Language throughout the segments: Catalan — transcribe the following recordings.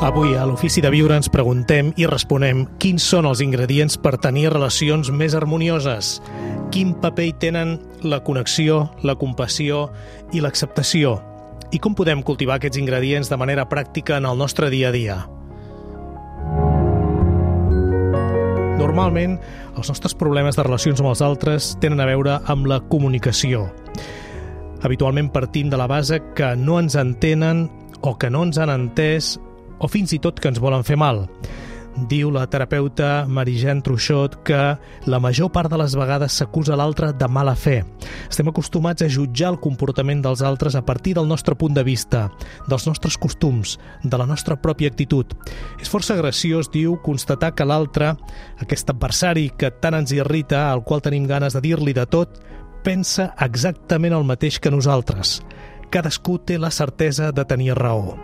Avui a l'Ofici de Viure ens preguntem i responem quins són els ingredients per tenir relacions més harmonioses. Quin paper hi tenen la connexió, la compassió i l'acceptació? I com podem cultivar aquests ingredients de manera pràctica en el nostre dia a dia? Normalment, els nostres problemes de relacions amb els altres tenen a veure amb la comunicació. Habitualment partim de la base que no ens entenen o que no ens han entès o fins i tot que ens volen fer mal. Diu la terapeuta Marie-Jeanne Truchot que la major part de les vegades s'acusa l'altre de mala fe. Estem acostumats a jutjar el comportament dels altres a partir del nostre punt de vista, dels nostres costums, de la nostra pròpia actitud. És força graciós, diu, constatar que l'altre, aquest adversari que tant ens irrita, al qual tenim ganes de dir-li de tot, pensa exactament el mateix que nosaltres. Cadascú té la certesa de tenir raó.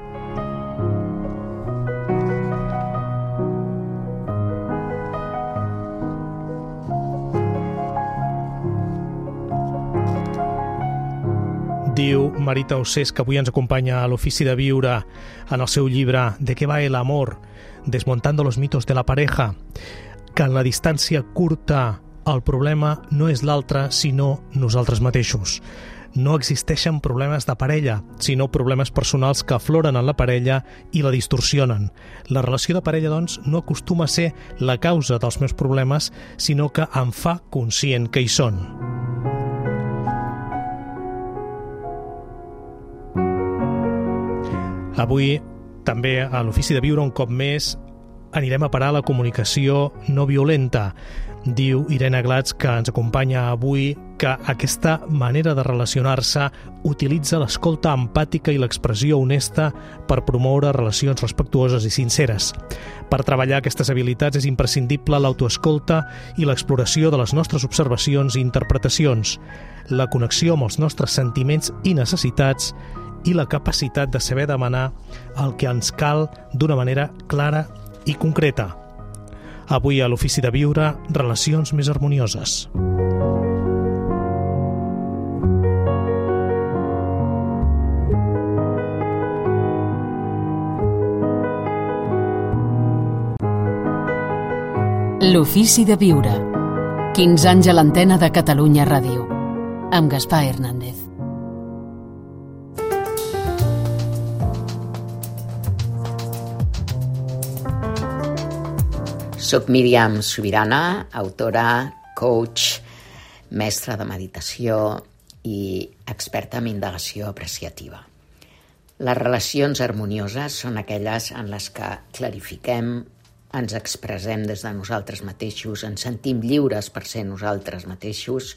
Diu Marita Ossés, que avui ens acompanya a l'Ofici de Viure en el seu llibre ¿De qué va el amor? Desmontando los mitos de la pareja, que en la distància curta el problema no és l'altre, sinó nosaltres mateixos. No existeixen problemes de parella, sinó problemes personals que afloren en la parella i la distorsionen. La relació de parella, doncs, no acostuma a ser la causa dels meus problemes, sinó que em fa conscient que hi són. Avui, també a l'Ofici de Viure, un cop més, anirem a parar la comunicació no violenta. Diu Irene Glatz, que ens acompanya avui, que aquesta manera de relacionar-se utilitza l'escolta empàtica i l'expressió honesta per promoure relacions respectuoses i sinceres. Per treballar aquestes habilitats és imprescindible l'autoescolta i l'exploració de les nostres observacions i interpretacions, la connexió amb els nostres sentiments i necessitats i la capacitat de saber demanar el que ens cal d'una manera clara i concreta. Avui a l'Ofici de Viure, relacions més harmonioses. L'Ofici de Viure. 15 anys a l'antena de Catalunya Ràdio. Amb Gaspar Hernández. Soc Míriam Subirana, autora, coach, mestra de meditació i experta en indagació apreciativa. Les relacions harmonioses són aquelles en les que clarifiquem, ens expressem des de nosaltres mateixos, ens sentim lliures per ser nosaltres mateixos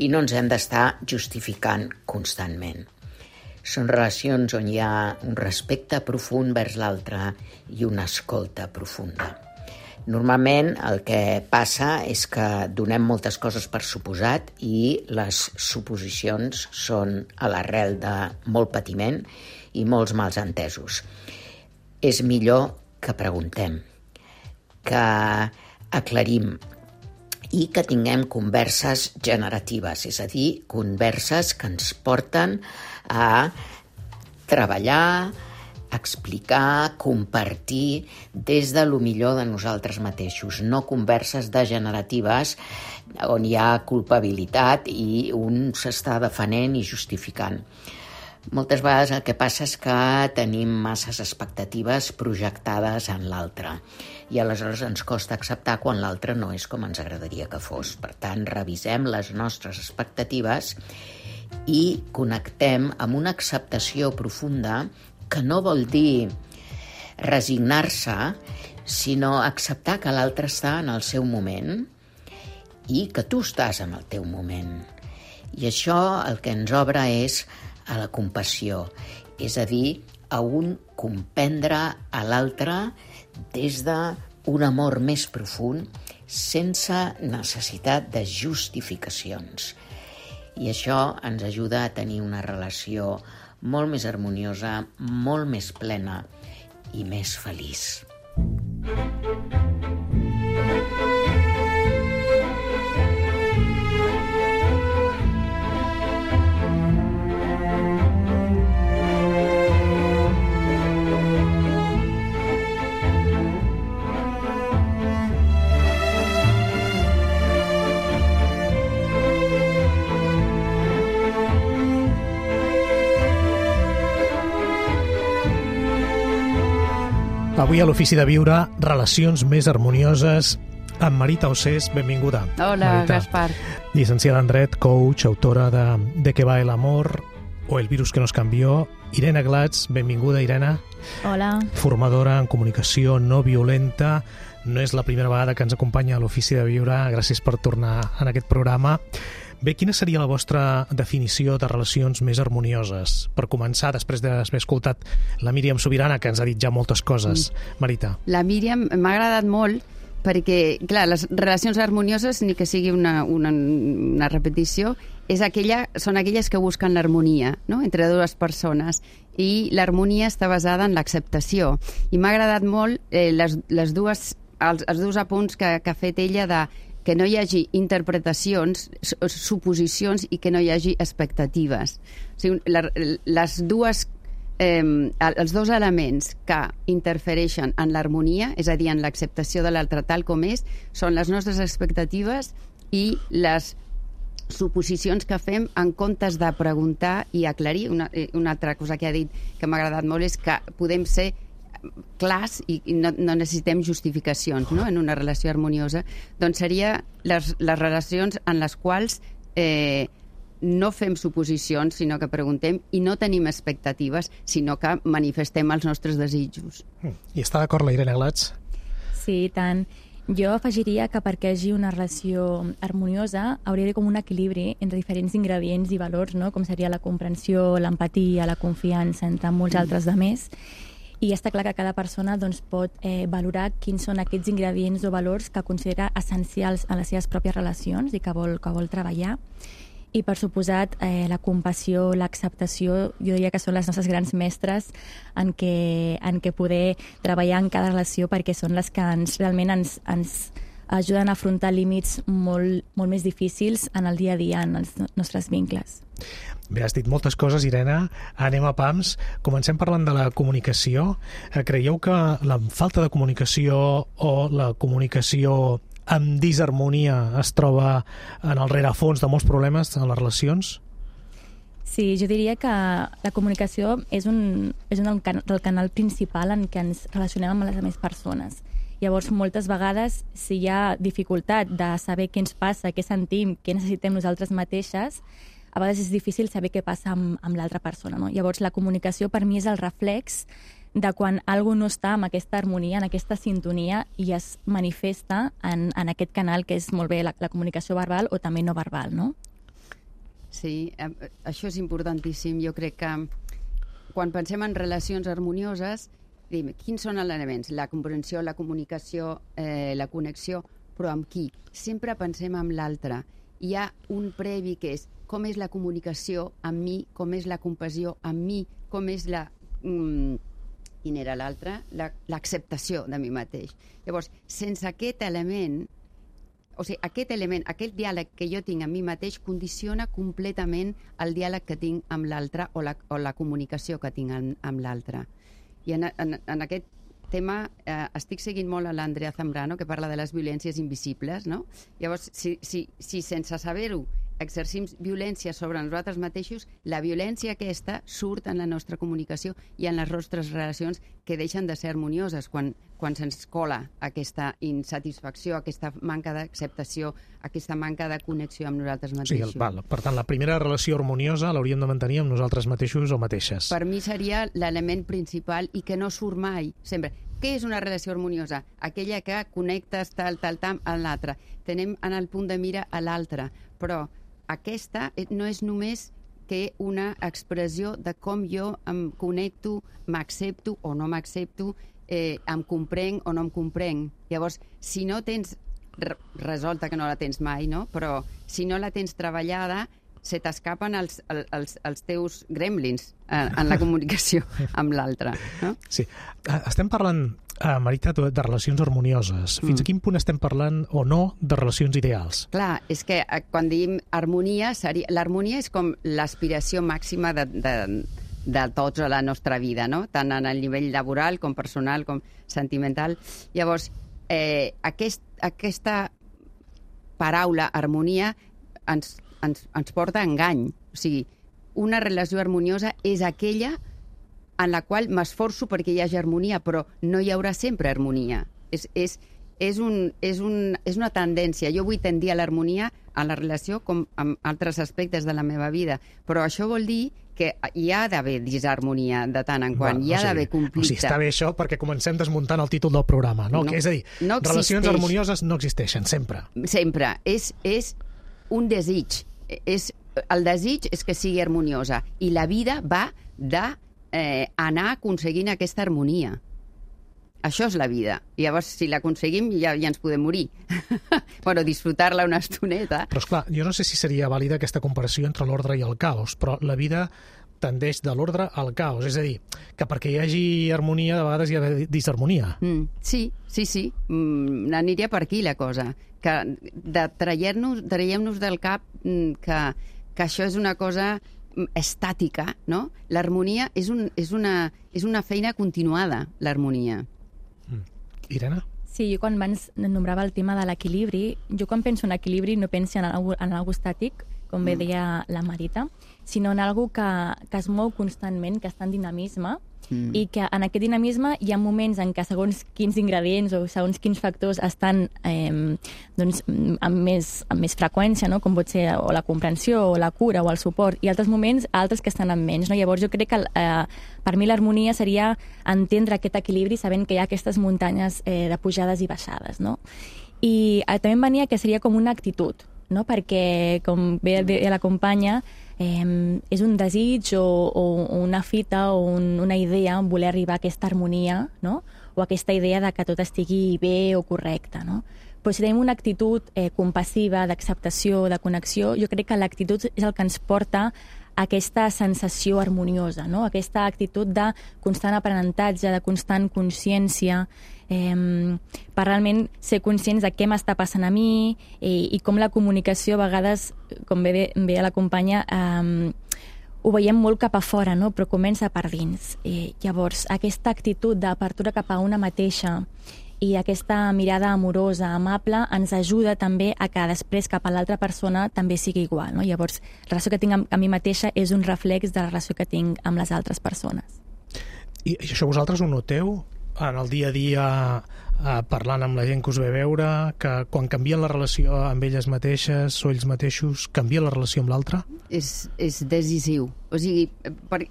i no ens hem d'estar justificant constantment. Són relacions on hi ha un respecte profund vers l'altre i una escolta profunda. Normalment el que passa és que donem moltes coses per suposat i les suposicions són a l'arrel de molt patiment i molts mals entesos. És millor que preguntem, que aclarim i que tinguem converses generatives, és a dir, converses que ens porten a treballar, explicar, compartir des de lo millor de nosaltres mateixos, no converses degeneratives on hi ha culpabilitat i un s'està defenent i justificant. Moltes vegades el que passa és que tenim masses expectatives projectades en l'altre i aleshores ens costa acceptar quan l'altre no és com ens agradaria que fos. Per tant, revisem les nostres expectatives i connectem amb una acceptació profunda que no vol dir resignar-se, sinó acceptar que l'altre està en el seu moment i que tu estàs en el teu moment. I això el que ens obre és a la compassió, és a dir, a un comprendre a l'altre des d'un amor més profund, sense necessitat de justificacions. I això ens ajuda a tenir una relació molt més harmoniosa, molt més plena i més feliç. Avui a l'Ofici de Viure, relacions més harmonioses amb Marita Ossés. Benvinguda. Hola, Marita. Gaspar. Llicenciada en Dret, coach, autora de Que va el amor o El virus que nos cambió. Irene Glatz, benvinguda, Irene. Hola. Formadora en comunicació no violenta. No és la primera vegada que ens acompanya a l'Ofici de Viure. Gràcies per tornar en aquest programa. Bé, quina seria la vostra definició de relacions més harmonioses? Per començar, després d'haver escoltat la Míriam Subirana, que ens ha dit ja moltes coses. Marita. La Míriam m'ha agradat molt perquè, clar, les relacions harmonioses, ni que sigui una repetició, són aquelles que busquen l'harmonia, no?, entre dues persones, i l'harmonia està basada en l'acceptació. I m'ha agradat molt els dos apunts que ha fet ella de que no hi hagi interpretacions, suposicions i que no hi hagi expectatives. O sigui, els dos elements que interfereixen en l'harmonia, és a dir, en l'acceptació de l'altre tal com és, són les nostres expectatives i les suposicions que fem en comptes de preguntar i aclarir. Una altra cosa que ha dit que m'ha agradat molt és que podem ser clars i no necessitem justificacions, no?, en una relació harmoniosa. Doncs seria les relacions en les quals no fem suposicions, sinó que preguntem, i no tenim expectatives, sinó que manifestem els nostres desitjos. I està d'acord la Irene Glatz? Sí, i tant. Jo afegiria que perquè hi hagi una relació harmoniosa hauria d'haver com un equilibri entre diferents ingredients i valors, no?, com seria la comprensió, l'empatia, la confiança, entre molts altres de més. I està clar que cada persona doncs, pot valorar quins són aquests ingredients o valors que considera essencials a les seves pròpies relacions i que vol treballar. I, per suposat, la compassió, l'acceptació, jo diria que són les nostres grans mestres en què poder treballar en cada relació, perquè són les que realment ens ajuden a afrontar límits molt més difícils en el dia a dia, en els nostres vincles. Bé, has dit moltes coses, Irene. Anem a pams. Comencem parlant de la comunicació. Creieu que la falta de comunicació o la comunicació amb disharmonia es troba en el rerefons de molts problemes en les relacions? Sí, jo diria que la comunicació és el canal principal en què ens relacionem amb les altres persones. Llavors, moltes vegades, si hi ha dificultat de saber què ens passa, què sentim, què necessitem nosaltres mateixes, a vegades és difícil saber què passa amb l'altra persona, no? Llavors, la comunicació per mi és el reflex de quan algú no està en aquesta harmonia, en aquesta sintonia, i es manifesta en aquest canal que és molt bé la comunicació verbal o també no verbal, no? Sí, això és importantíssim. Jo crec que quan pensem en relacions harmonioses, quins són els elements? La comprensió, la comunicació, la connexió, però amb qui? Sempre pensem en l'altre. Hi ha un previ que és com és la comunicació amb mi, com és la compassió amb mi, com és quin era l'altre? L'acceptació de mi mateix. Llavors, sense aquest element, o sigui, aquest diàleg que jo tinc amb mi mateix condiciona completament el diàleg que tinc amb l'altre o la comunicació que tinc amb l'altre. I en aquest tema estic seguint molt a l'Andrea Zambrano, que parla de les violències invisibles, no? Llavors, si sense saber-ho exercim violència sobre nosaltres mateixos, la violència aquesta surt en la nostra comunicació i en les nostres relacions, que deixen de ser harmonioses quan se'ns cola aquesta insatisfacció, aquesta manca d'acceptació, aquesta manca de connexió amb nosaltres mateixos. Sí, per tant, la primera relació harmoniosa l'hauríem de mantenir amb nosaltres mateixos o mateixes. Per mi seria l'element principal i que no surt mai, sempre. Què és una relació harmoniosa? Aquella que connectes tal amb l'altre. Tenim en el punt de mira a l'altre, però aquesta no és només que una expressió de com jo em connecto, m'accepto o no m'accepto, em comprenc o no em comprenc. Llavors, si no tens resolta, que no la tens mai, no? Però si no la tens treballada, se t'escapen els teus gremlins en la comunicació amb l'altre, no? Sí. Estem parlant, Marita, de relacions harmonioses. Fins a quin punt estem parlant o no de relacions ideals? Clar, és que quan diem harmonia, l'harmonia és com l'aspiració màxima de tots a la nostra vida, no? Tant en el nivell laboral com personal com sentimental. Llavors, aquesta paraula harmonia ens porta a engany. O sigui, una relació harmoniosa és aquella en la qual m'esforço perquè hi hagi harmonia, però no hi haurà sempre harmonia. És una tendència. Jo vull tendir a l'harmonia a la relació com amb altres aspectes de la meva vida, però això vol dir que hi ha d'haver disharmonia de tant en quant, hi ha d'haver conflicte. O sigui, està bé això perquè comencem desmuntant el títol del programa, no? És a dir, relacions harmonioses no existeixen, sempre. Sempre. És un desig. El desig és que sigui harmoniosa i la vida va d'anar aconseguint aquesta harmonia. Això és la vida. I llavors, si l'aconseguim, ja ens podem morir. Bueno, disfrutar-la una estoneta. Però, esclar, jo no sé si seria vàlida aquesta comparació entre l'ordre i el caos, però la vida tendeix de l'ordre al caos. És a dir, que perquè hi hagi harmonia, de vegades hi ha disharmonia. Sí. Aniria per aquí, la cosa. Que traiem-nos del cap que això és una cosa estàtica, no? L'harmonia és una feina continuada, l'harmonia. Irene? Sí, jo quan abans nombrava el tema de l'equilibri, jo quan penso en equilibri no penso en algo estàtic, com bé deia la Marita, sinó en algo que es mou constantment, que està en dinamisme, i que en aquest dinamisme hi ha moments en què segons quins ingredients o segons quins factors estan amb més freqüència, no? Com pot ser o la comprensió o la cura o el suport, i altres moments altres que estan amb menys, no? Llavors jo crec que per mi l'harmonia seria entendre aquest equilibri sabent que hi ha aquestes muntanyes de pujades i baixades, no? I també em venia que seria com una actitud, no? Perquè, com bé la companya, és un desig o una fita o una idea voler arribar a aquesta harmonia, no? O aquesta idea de que tot estigui bé o correcte, no? Però si tenim una actitud compassiva, d'acceptació, de connexió, jo crec que l'actitud és el que ens porta a aquesta sensació harmoniosa, no? Aquesta actitud de constant aprenentatge, de constant consciència, per realment ser conscients de què m'està passant a mi i com la comunicació a vegades, com bé la companya, ho veiem molt cap a fora, no? Però comença per dins. Llavors, aquesta actitud d'apertura cap a una mateixa i aquesta mirada amorosa, amable, ens ajuda també a que després cap a l'altra persona també sigui igual, no? Llavors, la relació que tinc amb mi mateixa és un reflex de la relació que tinc amb les altres persones. I això vosaltres ho noteu en el dia a dia, parlant amb la gent que us ve a veure, que quan canvien la relació amb elles mateixes o ells mateixos, canvia la relació amb l'altre? És decisiu. O sigui,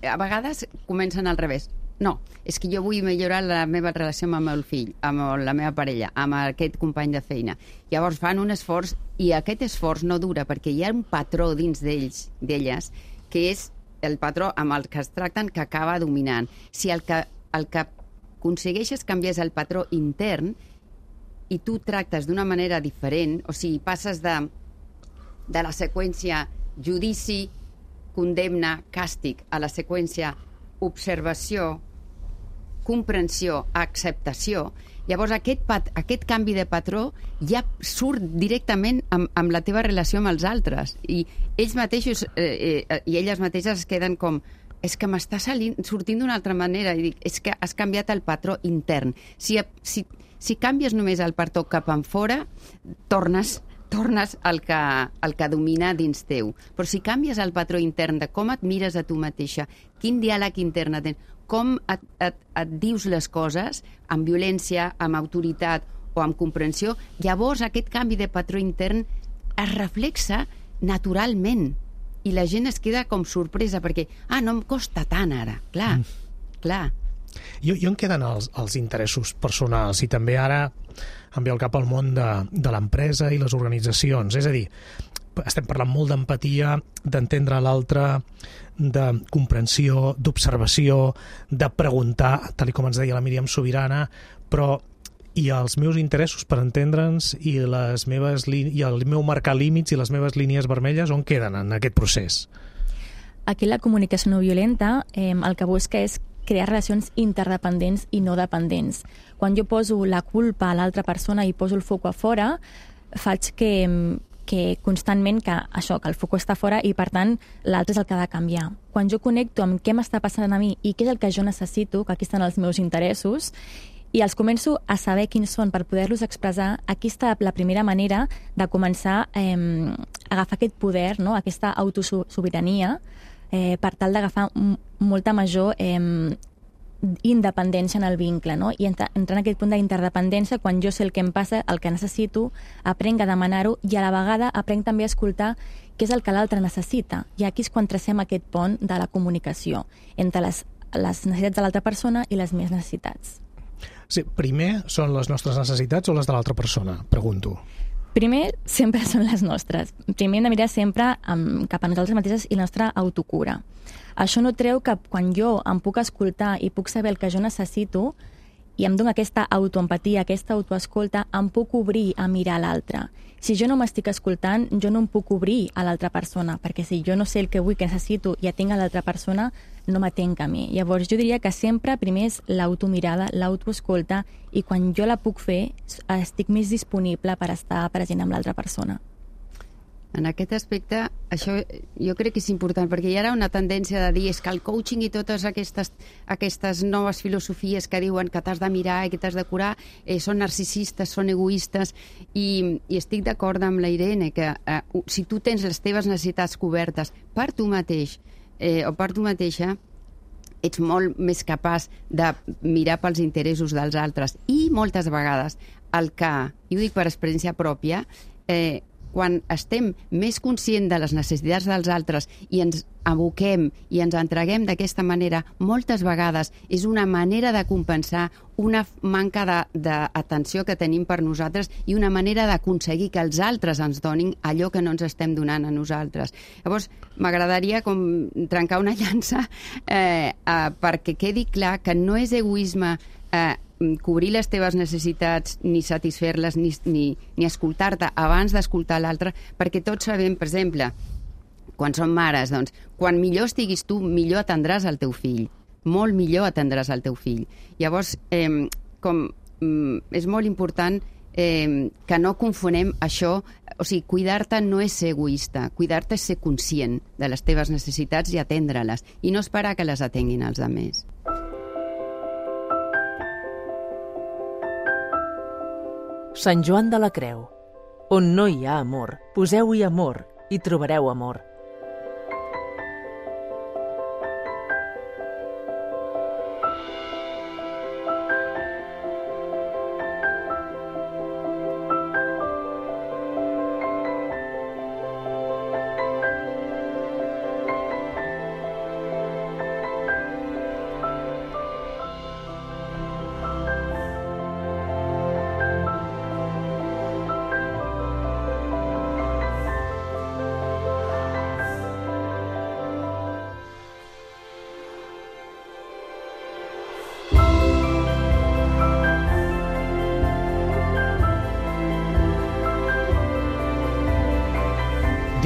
a vegades comencen al revés. No, és que jo vull millorar la meva relació amb el meu fill, amb la meva parella, amb aquest company de feina. Llavors fan un esforç i aquest esforç no dura perquè hi ha un patró dins d'elles que és el patró amb el que es tracten que acaba dominant. Si el que aconsegueixes canviar el patró intern i tu tractes d'una manera diferent, o sigui, passes de la seqüència judici, condemna, càstig, a la seqüència observació, comprensió, acceptació, llavors aquest canvi de patró ja surt directament amb la teva relació amb els altres i ells mateixos i elles mateixes es queden com és que m'està sortint d'una altra manera i dic, és que has canviat el patró intern. Si canvies només el patró cap enfora, tornes al que domina dins teu. Però si canvies el patró intern de com et mires a tu mateixa, quin diàleg intern tens, com et dius les coses, amb violència, amb autoritat o amb comprensió, llavors aquest canvi de patró intern es reflexa naturalment i la gent es queda com sorpresa perquè, no em costa tant ara. Clar. Jo em queden els interessos personals i també ara em ve al cap el món de l'empresa i les organitzacions. És a dir, estem parlant molt d'empatia, d'entendre l'altre, de comprensió, d'observació, de preguntar, tal com ens deia la Míriam Subirana, però i els meus interessos per entendre'ns i el meu marcar límits i les meves línies vermelles on queden en aquest procés? Aquí la comunicació no violenta el que busca és crear relacions interdependents i no dependents. Quan jo poso la culpa a l'altra persona i poso el foc a fora, faig que constantment que el foc està fora i per tant l'altre és el que ha de canviar. Quan jo connecto amb què m'està passant a mi i què és el que jo necessito, que aquí estan els meus interessos, i els començo a saber quins són per poder-los expressar, aquí està la primera manera de començar a agafar aquest poder, no? Aquesta autosobirania, per tal d'agafar molta major independència en el vincle, no? I entrar en aquest punt d'interdependència, quan jo sé el que em passa, el que necessito, aprenc a demanar-ho i a la vegada aprenc també a escoltar què és el que l'altre necessita. I aquí és quan tracem aquest pont de la comunicació entre les necessitats de l'altra persona i les meves necessitats. Sí, primer són les nostres necessitats o les de l'altra persona? Pregunto. Primer, sempre són les nostres. Primer hem de mirar sempre cap a nosaltres mateixes i la nostra autocura. Això no treu que quan jo em puc escoltar i puc saber el que jo necessito i em dono aquesta autoempatia, aquesta autoescolta, em puc obrir a mirar l'altre. Si jo no m'estic escoltant, jo no em puc obrir a l'altra persona, perquè si jo no sé el que vull, que necessito, i atenc a l'altra persona, no m'atenc a mi. Llavors, jo diria que sempre primer és l'automirada, l'autoescolta, i quan jo la puc fer, estic més disponible per estar present amb l'altra persona. En aquest aspecte, això jo crec que és important, perquè hi ha una tendència de dir és que el coaching i totes aquestes noves filosofies que diuen que t'has de mirar i que t'has de curar són narcisistes, són egoistes, i estic d'acord amb la Irene que si tu tens les teves necessitats cobertes per tu mateix o per tu mateixa, ets molt més capaç de mirar pels interessos dels altres. I moltes vegades, i ho dic per experiència pròpia, quan estem més conscients de les necessitats dels altres i ens aboquem i ens entreguem d'aquesta manera, moltes vegades és una manera de compensar una manca d'atenció que tenim per nosaltres i una manera d'aconseguir que els altres ens donin allò que no ens estem donant a nosaltres. Llavors, m'agradaria com trencar una llança perquè quedi clar que no és egoisme cobrir les teves necessitats, ni satisfer-les, ni escoltar-te abans d'escoltar l'altre, perquè tots sabem, per exemple, quan som mares, doncs, quan millor estiguis tu, millor atendràs el teu fill. Molt millor atendràs el teu fill. Llavors, és molt important que no confonem això, o sigui, cuidar-te no és ser egoista, cuidar-te és ser conscient de les teves necessitats i atendre-les, i no esperar que les atenguin els altres. Sant Joan de la Creu. On no hi ha amor, poseu-hi amor i trobareu amor.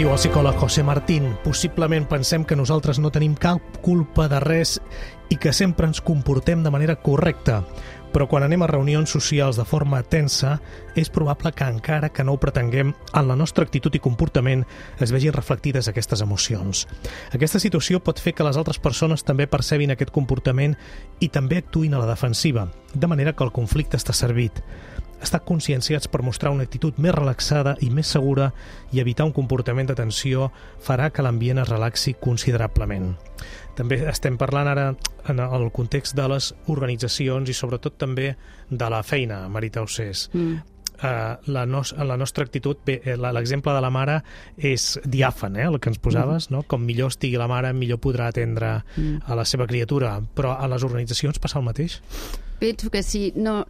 Diu el psicòleg José Martín, possiblement pensem que nosaltres no tenim cap culpa de res i que sempre ens comportem de manera correcta, però quan anem a reunions socials de forma tensa, és probable que encara que no ho pretenguem, en la nostra actitud i comportament es vegin reflectides aquestes emocions. Aquesta situació pot fer que les altres persones també percebin aquest comportament i també actuïn a la defensiva, de manera que el conflicte està servit. Estar conscienciats per mostrar una actitud més relaxada i més segura i evitar un comportament de tensió farà que l'ambient es relaxi considerablement. També estem parlant ara en el context de les organitzacions i sobretot també de la feina, Marita Ossés. La nostra actitud, bé, l'exemple de la mare és diàfan, el que ens posaves, no? Com millor estigui la mare, millor podrà atendre a la seva criatura, però a les organitzacions passa el mateix? Penso que sí. Jo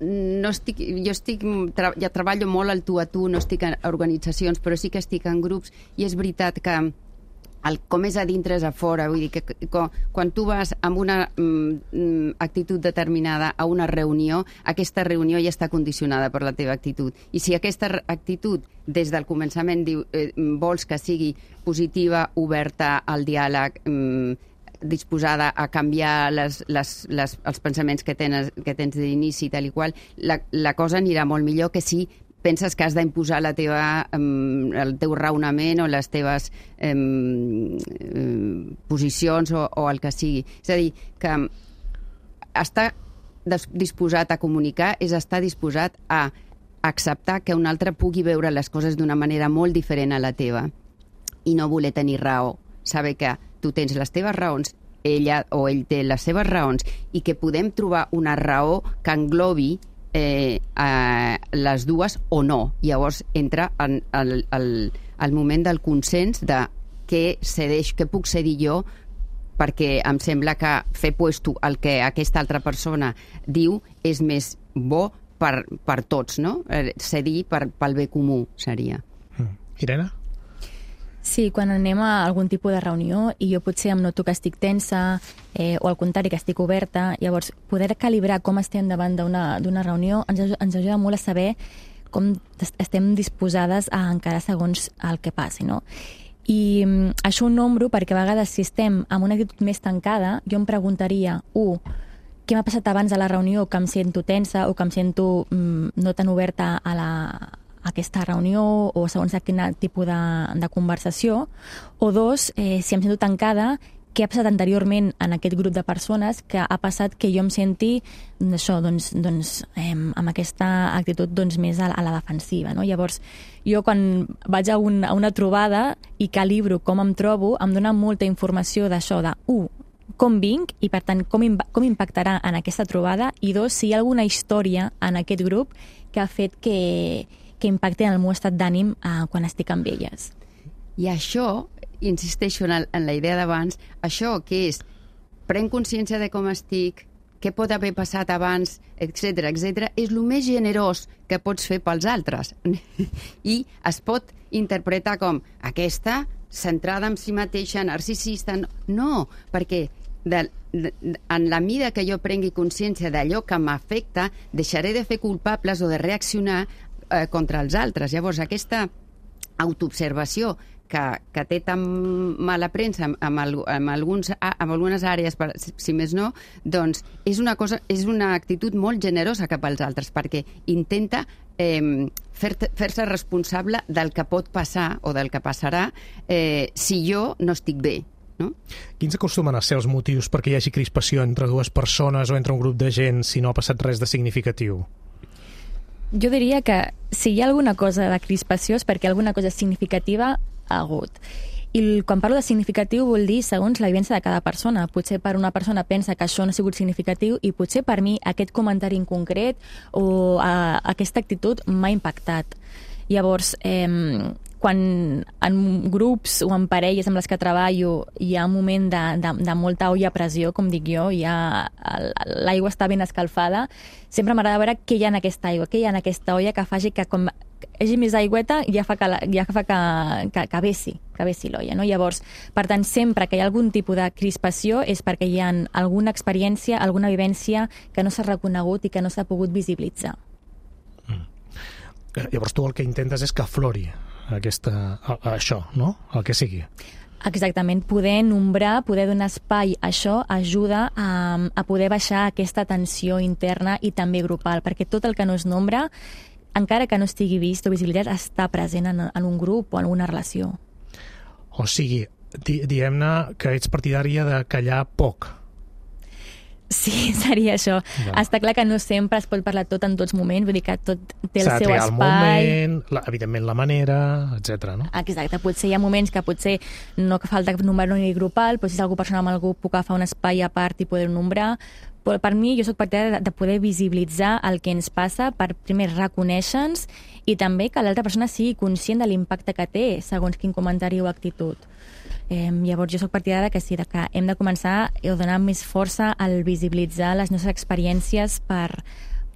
treballo molt al tu a tu, no estic en organitzacions, però sí que estic en grups, i és veritat que com és a dintre és a fora. Vull dir que quan tu vas amb una actitud determinada a una reunió, aquesta reunió ja està condicionada per la teva actitud. I si aquesta actitud des del començament vols que sigui positiva, oberta al diàleg, disposada a canviar els pensaments que tens d'inici, tal i qual, la cosa anirà molt millor que si penses que has d'imposar el teu raonament o les teves posicions o el que sigui. És a dir, que estar disposat a comunicar és estar disposat a acceptar que un altre pugui veure les coses d'una manera molt diferent a la teva i no voler tenir raó. Saber que tu tens les teves raons ella o ell té les seves raons i que podem trobar una raó que englobi les dues o no. Llavors entra en el moment del consens de què cedeix, què puc cedir jo, perquè em sembla que fer puesto el que aquesta altra persona diu és més bo per tots, no? Cedir pel bé comú seria. Irene? Sí, quan anem a algun tipus de reunió i jo potser em noto que estic tensa o al contrari que estic oberta, llavors poder calibrar com estem davant d'una reunió ens ajuda molt a saber com estem disposades a encarar segons el que passi, no? I això ho nombro perquè a vegades si estem amb una actitud més tancada, jo em preguntaria, què m'ha passat abans de la reunió que em sento tensa o que em sento no tan oberta a aquesta reunió o segons quin tipus de conversació, o dos, si em sento tancada, què ha passat anteriorment en aquest grup de persones que ha passat que jo em senti això, amb aquesta actitud més a la defensiva, no? Llavors, jo quan vaig a una trobada i calibro com em trobo, em dona molta informació d'això, com vinc i, per tant, com impactarà en aquesta trobada, i dos, si hi ha alguna història en aquest grup que ha fet que impacti en el meu estat d'ànim quan estic amb elles. I això, insisteixo en la idea d'abans, això que és, prenc consciència de com estic, què pot haver passat abans, etc, és el més generós que pots fer pels altres. I es pot interpretar com aquesta, centrada en si mateixa, narcisista. No, perquè en la mida que jo prengui consciència d'allò que m'afecta, deixaré de fer culpables o de reaccionar contra els altres. Llavors, aquesta autoobservació que té tan mala premsa amb algunes àrees, si més no, doncs és una actitud molt generosa cap als altres, perquè intenta fer-se responsable del que pot passar o del que passarà si jo no estic bé. No? Quins acostumen a ser els motius perquè hi hagi crispació entre dues persones o entre un grup de gent si no ha passat res de significatiu? Jo diria que si hi ha alguna cosa de crispació és perquè alguna cosa significativa ha hagut. I quan parlo de significatiu vol dir segons la vivència de cada persona. Potser per una persona pensa que això no ha sigut significatiu i potser per mi aquest comentari en concret o aquesta actitud m'ha impactat. Llavors, quan en grups o en parelles amb les que treballo hi ha un moment de molta olla a pressió, com dic jo, l'aigua està ben escalfada, sempre m'agrada veure què hi ha en aquesta aigua, què hi ha en aquesta olla que faci que com hi hagi més aigüeta ja fa que vessi l'olla, no? Llavors, per tant, sempre que hi ha algun tipus de crispació és perquè hi ha alguna experiència, alguna vivència que no s'ha reconegut i que no s'ha pogut visibilitzar. Llavors tu el que intentes és que aflori això, no? El que sigui. Exactament, poder nombrar, poder donar espai a això ajuda a poder baixar aquesta tensió interna i també grupal, perquè tot el que no es nombra, encara que no estigui vist o visibilitzat, està present en un grup o en una relació. O sigui, diguem-ne que ets partidària de callar poc. Sí, seria això. Ja. Està clar que no sempre es pot parlar tot en tots moments, vull dir que tot té el seu espai. S'ha de triar el moment, evidentment la manera, etc. No? Exacte, potser hi ha moments que potser no falta nombrar ni grupal, però si és algú personal amb algú puc agafar un espai a part i poder nombrar. Però per mi jo soc partidària de poder visibilitzar el que ens passa per primer reconèixer-nos i també que l'altra persona sigui conscient de l'impacte que té segons quin comentari o actitud. Llavors jo soc partidària que sí, que hem de començar a donar més força al visibilitzar les nostres experiències per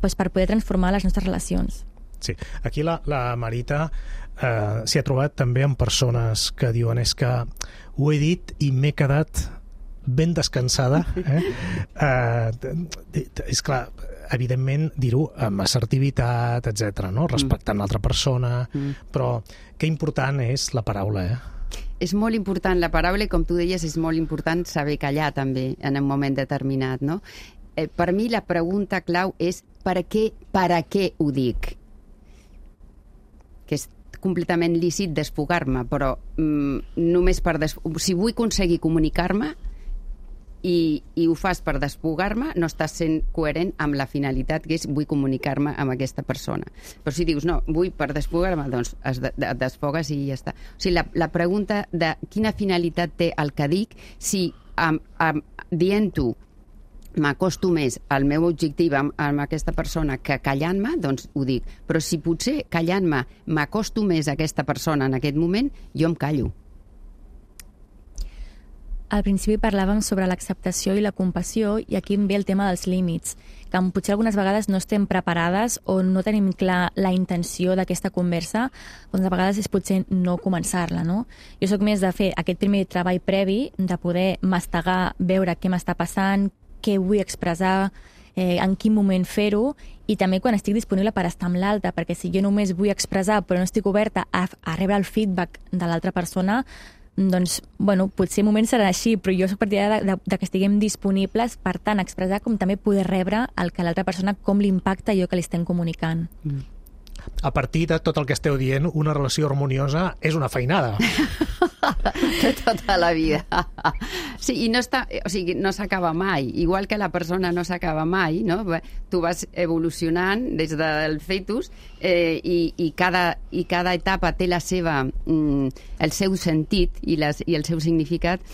poder transformar les nostres relacions. Sí, aquí la Marita s'hi ha trobat també amb persones que diuen és que ho he dit i m'he quedat ben descansada. És clar, evidentment dir-ho amb assertivitat, etc, no? Respectant l'altra persona, però que important és la paraula, És molt important la paraula i, com tu deies, és molt important saber callar també en un moment determinat, no? Per mi la pregunta clau és per què ho dic? Que és completament lícit desfogar-me, però només si vull aconseguir comunicar-me i ho fas per desfogar-me, no estàs sent coherent amb la finalitat que és vull comunicar-me amb aquesta persona. Però si dius, no, vull per desfogar-me, doncs et desfogues i ja està. O sigui, la pregunta de quina finalitat té el que dic, si dient-ho m'acosto més al meu objectiu amb aquesta persona que callant-me, doncs ho dic. Però si potser callant-me m'acosto més a aquesta persona en aquest moment, jo em callo. Al principi parlàvem sobre l'acceptació i la compassió, i aquí em ve el tema dels límits, que potser algunes vegades no estem preparades o no tenim clar la intenció d'aquesta conversa, doncs a vegades és potser no començar-la, no? Jo sóc més de fer aquest primer treball previ, de poder mastegar, veure què m'està passant, què vull expressar, en quin moment fer-ho, i també quan estic disponible per estar amb l'altre, perquè si jo només vull expressar però no estic oberta a rebre el feedback de l'altra persona, doncs, bueno, potser moments seran així, però jo soc partidària de que estiguem disponibles per tant expressar com també poder rebre el que l'altra persona, com l'impacta allò que li estem comunicant. A partir de tot el que esteu dient, una relació harmoniosa és una feinada. De tota la vida. Sí, i no s'acaba mai. Igual que la persona no s'acaba mai, no? Tu vas evolucionant des del fetus i cada etapa té la seva, el seu sentit i el seu significat.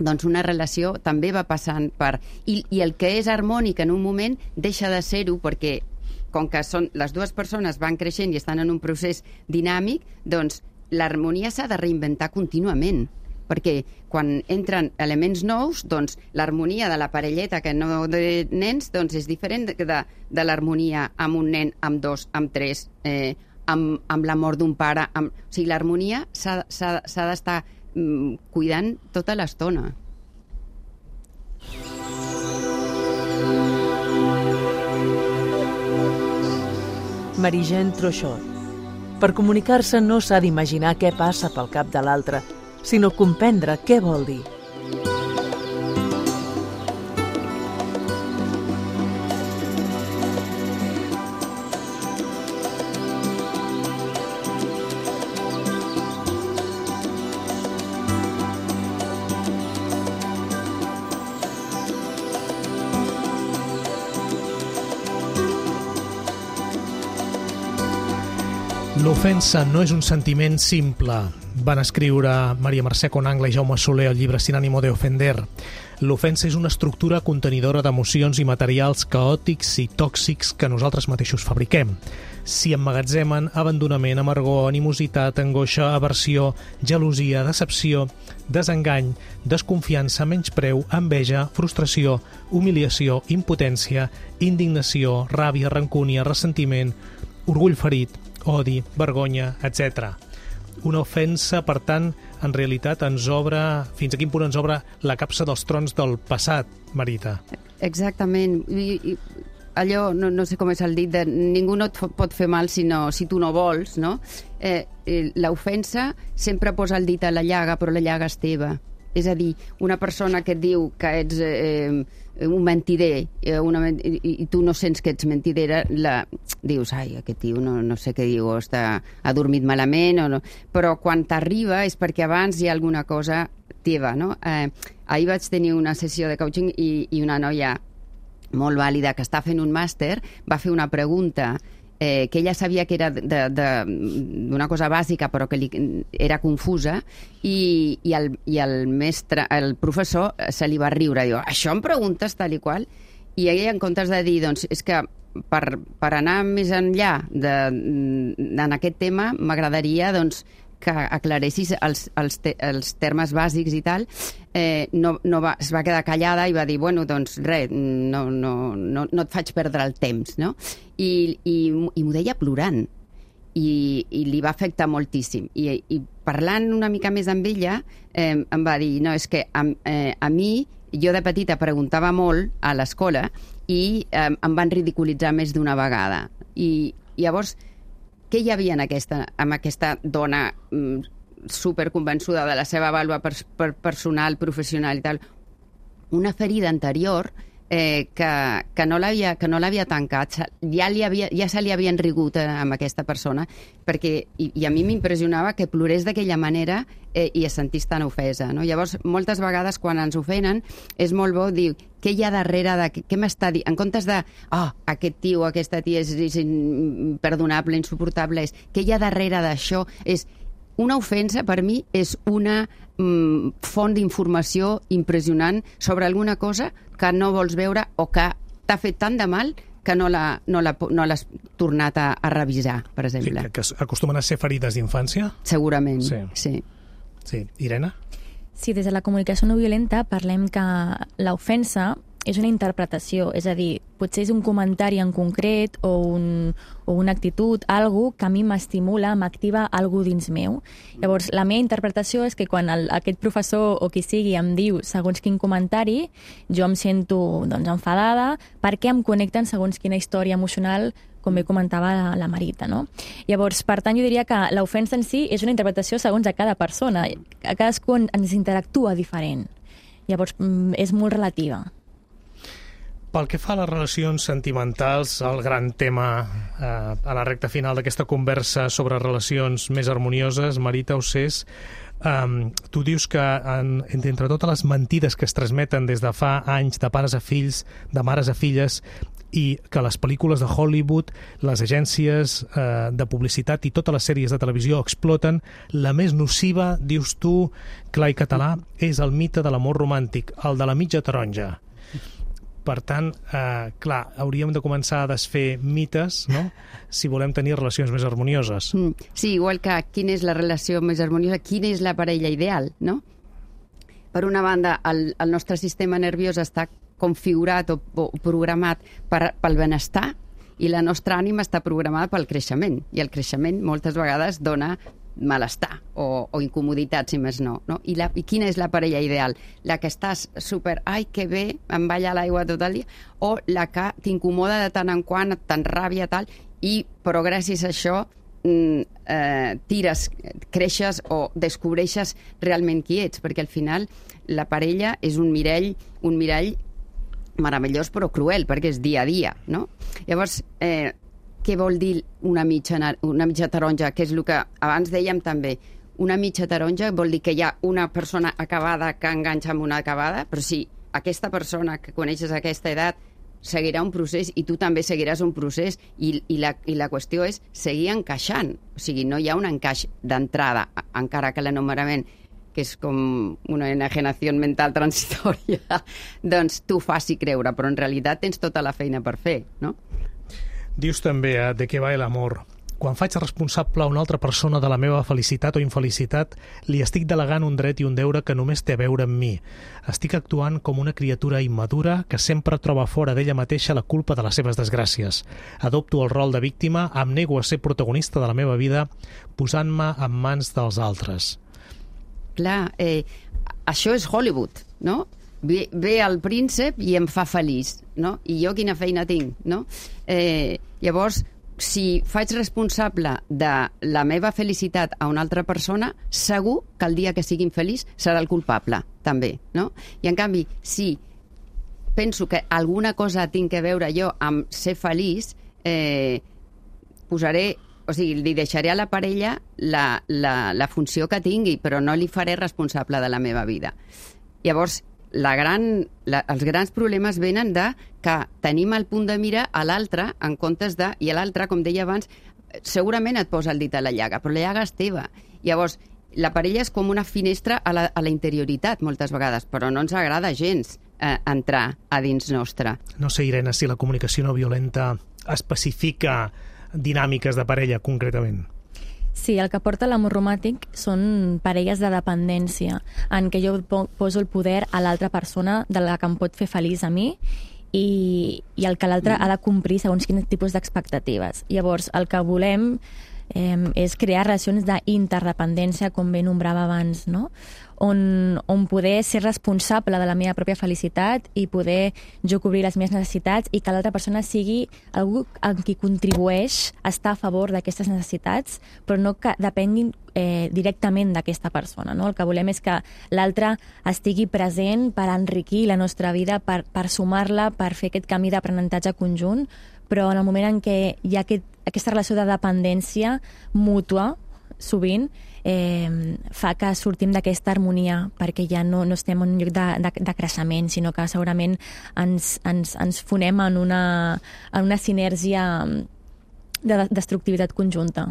Doncs una relació també va passant per... I el que és harmònic en un moment deixa de ser-ho perquè com que les dues persones van creixent i estan en un procés dinàmic, doncs l'harmonia s'ha de reinventar contínuament, perquè quan entren elements nous, doncs l'harmonia de la parelleta que no de nens doncs és diferent de l'harmonia amb un nen, amb dos, amb tres, amb la mort d'un pare. O sigui, l'harmonia s'ha d'estar cuidant tota l'estona. Marie-Jeanne Trochot. Per comunicar-se no s'ha d'imaginar què passa pel cap de l'altre, sinó comprendre què vol dir. L'ofensa no és un sentiment simple. Van escriure Maria Mercè Conangle i Jaume Soler el llibre Sin ánimo de ofender. L'ofensa és una estructura contenidora d'emocions i materials caòtics i tòxics que nosaltres mateixos fabriquem. S'hi emmagatzemen abandonament, amargor, animositat, angoixa, aversió, gelosia, decepció, desengany, desconfiança, menyspreu, enveja, frustració, humiliació, impotència, indignació, ràbia, rancúnia, ressentiment, orgull ferit, odi, vergonya, etc. Una ofensa, per tant, en realitat ens obre... Fins a quin punt ens obre la capsa dels trons del passat, Marita? Exactament. Allò, no sé com és el dit, ningú no et pot fer mal si tu no vols, no? L'ofensa sempre posa el dit a la llaga, però la llaga és teva. És a dir, una persona que et diu que ets un mentider i tu no sents que ets mentidera, dius, ai, aquest tio no sé què diu, ha dormit malament, o no. Però quan t'arriba és perquè abans hi ha alguna cosa teva, no? Ahir vaig tenir una sessió de coaching i una noia molt vàlida que està fent un màster va fer una pregunta que ella sabia que era d'una cosa bàsica però que li era confusa i el mestre, el professor se li va riure, diu, això em preguntes tal i qual? I ella, en comptes de dir, doncs, és que per anar més enllà en aquest tema m'agradaria, doncs, que aclaressis els termes bàsics i tal, es va quedar callada i va dir, bueno, doncs res, no et faig perdre el temps, no? I m'ho deia plorant i li va afectar moltíssim. I parlant una mica més amb ella, em va dir, no, és que a mi, jo de petita preguntava molt a l'escola i em van ridiculitzar més d'una vegada. I llavors, què hi havia amb aquesta dona superconvençuda de la seva vàlua personal, professional i tal? Una ferida anterior que no l'havia tancat. Ja se li havien rigut amb aquesta persona, i a mi m'impressionava que plorés d'aquella manera i es sentís tan ofesa, no? Llavors, moltes vegades quan ens ofenen és molt bo dir què hi ha darrere, què m'està dient, en comptes de aquest tio o aquesta tia és imperdonable, insuportable, què hi ha darrere d'això? Una ofensa per mi és una font d'informació impressionant sobre alguna cosa que no vols veure o que t'ha fet tant de mal que no l'has tornat a revisar, per exemple. Sí, que acostumen a ser ferides d'infància? Segurament, sí. Irene? Sí, des de la comunicació no violenta parlem que l'ofensa és una interpretació, és a dir, potser és un comentari en concret o una actitud, algo que a mi m'estimula, m'activa algo dins meu. Llavors, la meva interpretació és que quan aquest professor o qui sigui em diu segons quin comentari, jo em sento enfadada perquè em connecten segons quina història emocional, com bé comentava la Marita, no? Llavors, per tant, jo diria que l'ofensa en si és una interpretació segons a cada persona. A cadascú ens interactua diferent. Llavors, és molt relativa. Pel que fa a les relacions sentimentals, el gran tema a la recta final d'aquesta conversa sobre relacions més harmonioses, Marita Ossés, tu dius que entre totes les mentides que es transmeten des de fa anys de pares a fills, de mares a filles, i que les pel·lícules de Hollywood, les agències de publicitat i totes les sèries de televisió exploten, la més nociva, dius tu, clar i català, és el mite de l'amor romàntic, el de la mitja taronja. Per tant, clar, hauríem de començar a desfer mites, no?, si volem tenir relacions més harmonioses. Sí, igual que quina és la relació més harmoniosa, quina és la parella ideal, no? Per una banda, el nostre sistema nerviós està configurat o programat pel benestar i la nostra ànima està programada pel creixement. I el creixement moltes vegades dona malestar o incomoditat, si més no. I quina és la parella ideal? La que estàs super, ai, que bé, em balla l'aigua tot el dia, o la que t'incomoda de tant en quant, t'enràbia, tal, però gràcies a això creixes o descobreixes realment qui ets, perquè al final la parella és un mirall meravellós però cruel, perquè és dia a dia, no? Llavors, què vol dir una mitja taronja? Que és el que abans dèiem també. Una mitja taronja vol dir que hi ha una persona acabada que enganxa amb una acabada, però si aquesta persona que coneixes a aquesta edat seguirà un procés i tu també seguiràs un procés i la qüestió és seguir encaixant. O sigui, no hi ha un encaix d'entrada, encara que l'enumerament, que és com una enajenació mental transitòria, doncs t'ho faci creure, però en realitat tens tota la feina per fer, no? Dius també de què va l'amor. Quan faig responsable a una altra persona de la meva felicitat o infelicitat, li estic delegant un dret i un deure que només té a veure amb mi. Estic actuant com una criatura immadura que sempre troba fora d'ella mateixa la culpa de les seves desgràcies. Adopto el rol de víctima, em nego a ser protagonista de la meva vida, posant-me en mans dels altres. Clar, això és Hollywood, no? Ve el príncep i em fa feliç, no? I jo quina feina tinc, no? Llavors, si faig responsable de la meva felicitat a una altra persona, segur que el dia que sigui infeliç serà el culpable, també, no? I en canvi, si penso que alguna cosa tinc que veure jo amb ser feliç, li deixaré a la parella la funció que tingui, però no li faré responsable de la meva vida. Llavors, els grans problemes venen de que tenim el punt de mira a l'altre en comptes de... I l'altre, com deia abans, segurament et posa el dit a la llaga, però la llaga és teva. Llavors, la parella és com una finestra a la interioritat, moltes vegades, però no ens agrada gens entrar a dins nostre. No sé, Irene, si la comunicació no violenta especifica dinàmiques de parella, concretament. Sí, el que porta l'amor romàntic són parelles de dependència, en què jo poso el poder a l'altra persona de la que em pot fer feliç a mi i el que l'altre ha de complir segons quins tipus d'expectatives. Llavors, el que volem és crear relacions d'interdependència, com bé nombrava abans, no? On poder ser responsable de la meva pròpia felicitat i poder jo cobrir les meves necessitats i que l'altra persona sigui algú en qui contribueix a estar a favor d'aquestes necessitats, però no que depenguin directament d'aquesta persona, no? El que volem és que l'altre estigui present per enriquir la nostra vida, per sumar-la, per fer aquest camí d'aprenentatge conjunt, però en el moment en què hi ha aquesta relació de dependència mútua, sovint, fa que sortim d'aquesta harmonia, perquè ja no estem en un lloc de creixement, sinó que segurament ens fonem en una sinergia de destructivitat conjunta.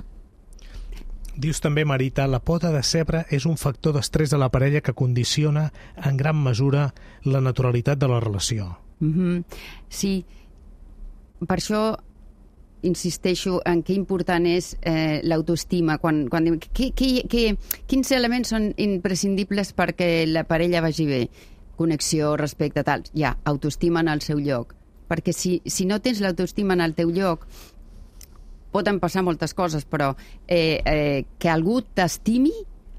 Dius també, Marita, la pota de cebre és un factor d'estrès de la parella que condiciona en gran mesura la naturalitat de la relació. Sí, per això insisteixo en que important és l'autoestima. Quan dic, quins elements són imprescindibles perquè la parella vagi bé? Connexió, respecte, tal. Ja, autoestima en el seu lloc. Perquè si no tens l'autoestima en el teu lloc, poden passar moltes coses, però que algú t'estimi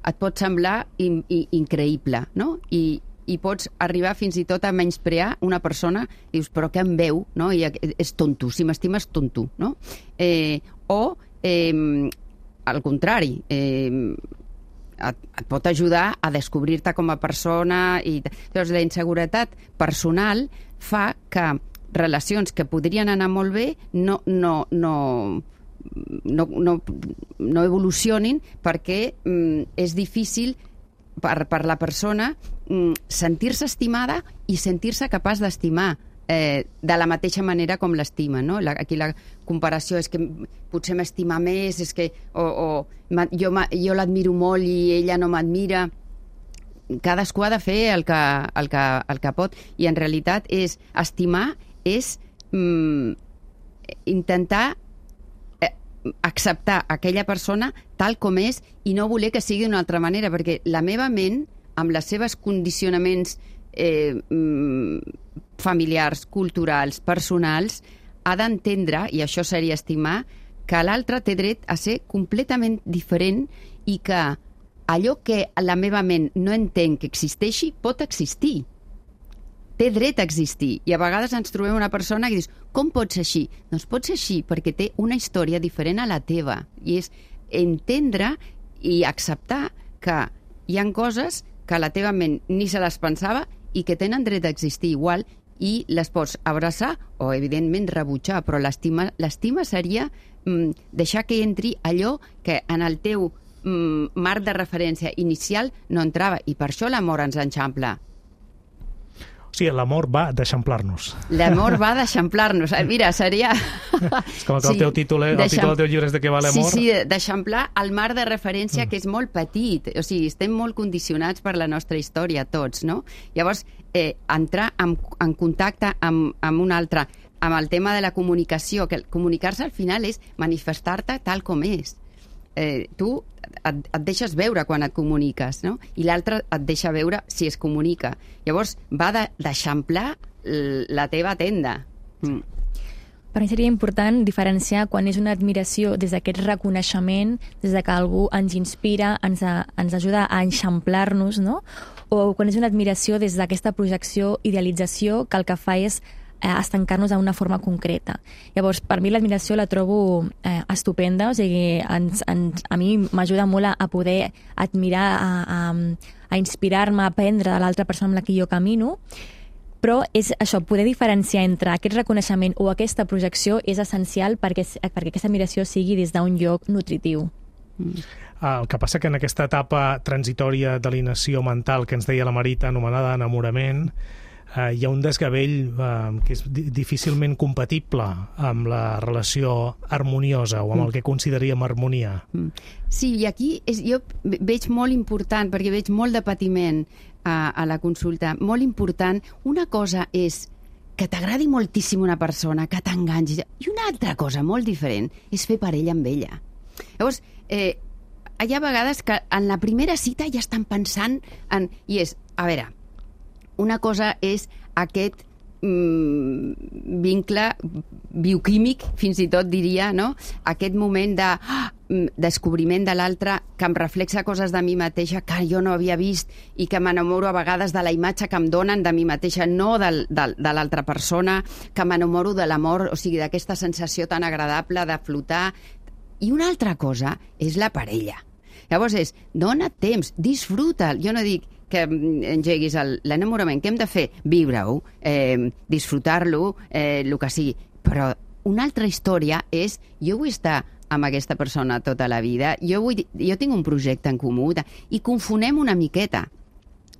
et pot semblar increïble, no? I pots arribar fins i tot a menysprear una persona, dius, però què em veu? No? I és tonto, si m'estima és tonto, no? Al contrari, et pot ajudar a descobrir-te com a persona. Llavors, la inseguretat personal fa que relacions que podrien anar molt bé no evolucionin perquè és difícil per la persona sentir-se estimada i sentir-se capaç d'estimar de la mateixa manera com l'estima, no? Aquí la comparació és que potser m'estima més, és que jo l'admiro molt i ella no m'admira. Cadascú ha de fer el que pot, i en realitat estimar és intentar acceptar aquella persona tal com és i no voler que sigui d'una altra manera, perquè la meva ment, amb les seves condicionaments familiars, culturals, personals, ha d'entendre, i això seria estimar, que l'altre té dret a ser completament diferent i que allò que la meva ment no entén que existeixi pot existir. Té dret a existir. I a vegades ens trobem una persona que dius, com pot ser així? Doncs pot ser així perquè té una història diferent a la teva. I és entendre i acceptar que hi ha coses que la teva ment ni se les pensava i que tenen dret a existir igual, i les pots abraçar o, evidentment, rebutjar. Però l'estima seria deixar que entri allò que en el teu marc de referència inicial no entrava. I per això l'amor ens enxampla. O sigui, l'amor va d'eixamplar-nos. L'amor va d'eixamplar-nos. Mira, seria... És com que el teu títol del teu llibre és de què va l'amor. Sí, d'eixamplar el marc de referència, que és molt petit. O sigui, estem molt condicionats per la nostra història, tots, no? Llavors, entrar en contacte amb un altre, amb el tema de la comunicació, que comunicar-se al final és manifestar-te tal com és. Tu et deixes veure quan et comuniques, no? I l'altre et deixa veure si es comunica. Llavors, va d'eixamplar la teva tenda. Per mi seria important diferenciar quan és una admiració des d'aquest reconeixement, des de que algú ens inspira, ens ajuda a eixamplar-nos, no? O quan és una admiració des d'aquesta projecció, idealització, que el que fa és estancar-nos a una forma concreta. Llavors, per mi l'admiració la trobo estupenda, o sigui, a mi m'ajuda molt a poder admirar, a inspirar-me, a aprendre de l'altra persona amb la que jo camino, però és això, poder diferenciar entre aquest reconeixement o aquesta projecció és essencial perquè aquesta admiració sigui des d'un lloc nutritiu. El que passa que en aquesta etapa transitòria d'alienació mental que ens deia la Marita, anomenada enamorament, hi ha un desgavell que és difícilment compatible amb la relació harmoniosa o amb el que consideraríem harmonia. Sí, i aquí jo veig molt important, perquè veig molt de patiment a la consulta, molt important. Una cosa és que t'agradi moltíssim una persona, que t'enganxis, i una altra cosa molt diferent és fer parella amb ella. Llavors, hi ha vegades que en la primera cita ja estan pensant en... I és, a veure, una cosa és aquest vincle bioquímic, fins i tot diria, no? Aquest moment de descobriment de l'altre que em reflexa coses de mi mateixa que jo no havia vist i que m'enamoro a vegades de la imatge que em donen de mi mateixa, no de l'altra persona, que m'enamoro de l'amor, o sigui, d'aquesta sensació tan agradable de flotar. I una altra cosa és la parella. Llavors dona temps, disfruta'l. Jo no dic que engeguis l'enamorament. Què hem de fer? Viure-ho, disfrutar-lo, el que sigui. Però una altra història és jo vull estar amb aquesta persona tota la vida, jo tinc un projecte en comú, i confonem una miqueta.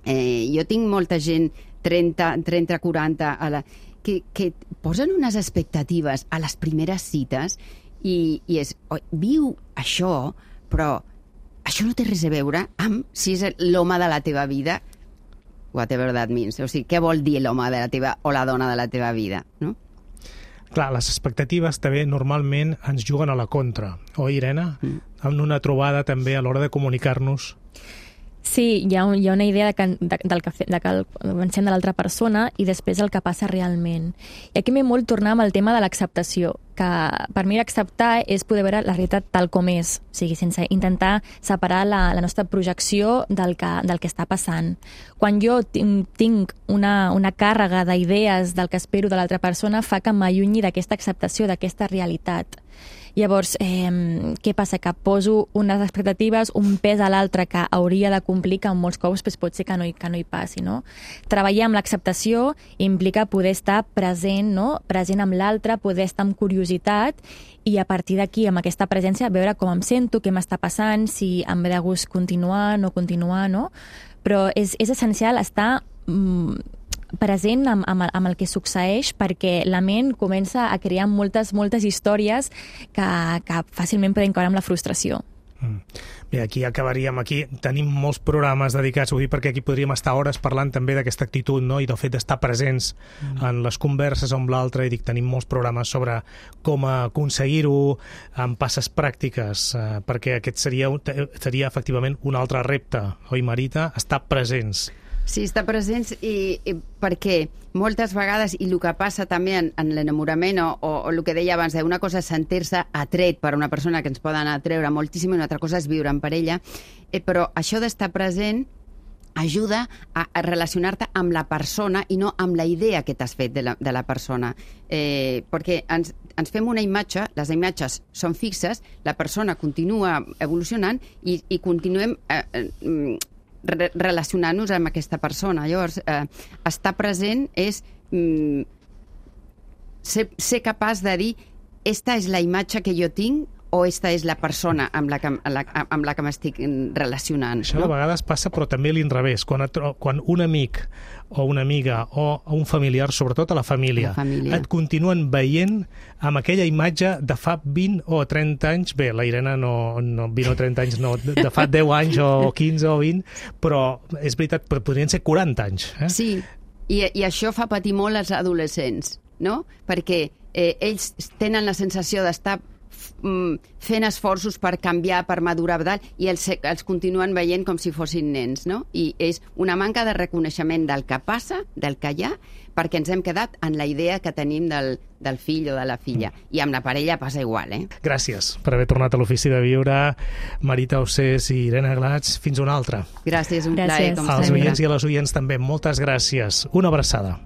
Jo tinc molta gent 30, 40, que posen unes expectatives a les primeres cites i és, viu això, però això no té res a veure amb si és l'home de la teva vida, whatever that means. O sigui, què vol dir l'home de la teva o la dona de la teva vida, no? Clar, les expectatives també normalment ens juguen a la contra, oi, Irene? En una trobada també a l'hora de comunicar-nos. Sí, hi ha una idea de que pensem de l'altra persona i després el que passa realment. I aquí m'he molt tornar amb el tema de l'acceptació, que per mi l'acceptar és poder veure la realitat tal com és, o sigui, sense intentar separar la nostra projecció del que està passant. Quan jo tinc una càrrega d'idees del que espero de l'altra persona, fa que m'allunyi d'aquesta acceptació, d'aquesta realitat. Llavors, què passa? Que poso unes expectatives, un pes a l'altre que hauria de complir, que en molts cops pot ser que no hi passi, no? Treballar amb l'acceptació implica poder estar present, no? Present amb l'altre, poder estar amb curiositat i a partir d'aquí, amb aquesta presència, veure com em sento, què m'està passant, si em ve de gust continuar, no continuar, no? Però és essencial estar present amb el que succeeix, perquè la ment comença a crear moltes històries que fàcilment poden caure amb la frustració. Bé, aquí acabaríem. Aquí tenim molts programes dedicats, vull dir, perquè aquí podríem estar hores parlant també d'aquesta actitud, no? I del fet d'estar presents en les converses amb l'altre, i dic, tenim molts programes sobre com aconseguir-ho amb passes pràctiques, perquè aquest seria efectivament un altre repte, oi, Marita? Estar presents. Sí, estar presents i perquè moltes vegades, i el que passa també en l'enamorament o el que deia abans, una cosa és sentir-se atret per una persona que ens poden atreure moltíssim i una altra cosa és viure en parella, però això d'estar present ajuda a relacionar-te amb la persona i no amb la idea que t'has fet de la persona. Perquè ens fem una imatge, les imatges són fixes, la persona continua evolucionant i continuem relacionar-nos amb aquesta persona. Llavors, estar present és ser capaç de dir esta és la imatge que jo tinc o esta és la persona amb la que m'estic relacionant. Això a vegades passa, però també a l'inrevés. Quan un amic o una amiga o un familiar, sobretot a la família, et continuen veient amb aquella imatge de fa 20 o 30 anys, bé, la Irene no 20 o 30 anys, no, de fa 10 anys o 15 o 20, però és veritat, podrien ser 40 anys. Sí, i això fa patir molt als adolescents, no? Perquè ells tenen la sensació d'estar fent esforços per canviar, per madurar, i els continuen veient com si fossin nens, no? I és una manca de reconeixement del que passa, del que hi ha, perquè ens hem quedat en la idea que tenim del fill o de la filla. I amb la parella passa igual, Gràcies per haver tornat a l'Ofici de Viure, Marita Ossés i Irene Glats. Fins una altra. Gràcies, un plaer, com sempre. Als oients i a les oients també, moltes gràcies. Una abraçada.